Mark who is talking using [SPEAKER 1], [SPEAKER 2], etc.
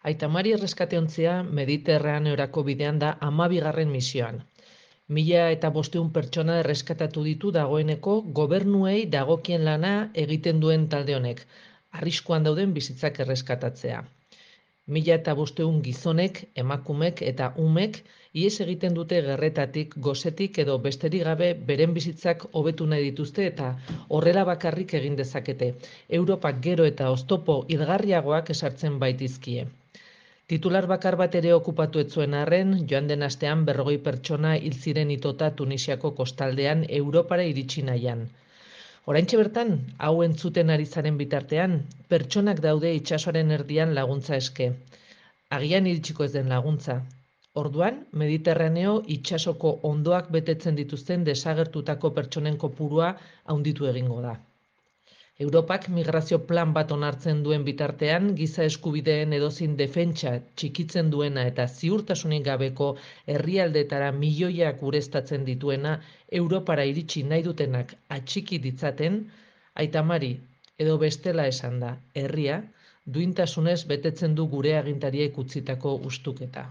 [SPEAKER 1] Aita Mari erreskateontzia Mediterraneorako bidean da 12. misioan. 1.500 pertsona erreskatatu ditu dagoeneko gobernuei dagokien lana egiten duen talde honek, arriskuan dauden bizitzak erreskatatzea. 1.500 gizonek, emakumek eta umek ihes egiten dute gerretatik, gosetik edo besterik gabe beren bizitzak hobetu nahi dituzte eta horrela bakarrik egin dezakete. Europak gero eta oztopo hilgarriagoak esartzen baitizkie. Titular bakar bat ere okupatu ez zuen arren, joan den astean 40 pertsona hil ziren itota Tunisiako kostaldean Europara iritsi nahian. Oraintxe bertan, hau entzuten ari zaren bitartean, pertsonak daude itsasoaren erdian laguntza eske. Agian iritsiko ez den laguntza. Orduan, Mediterraneo itsasoko hondoak betetzen dituzten desagertutako pertsonen kopurua handitu egingo da. Europak migrazio plan bat onartzen duen bitartean, giza eskubideen edozein defentsa txikitzen duena eta ziurtasunik gabeko herrialdeetara milioiak ureztatzen dituena Europara iritsi nahi dutenak atxiki ditzaten, Aita Mari, edo bestela esanda, herria, duintasunez betetzen du gure agintariek utzitako hustuketa.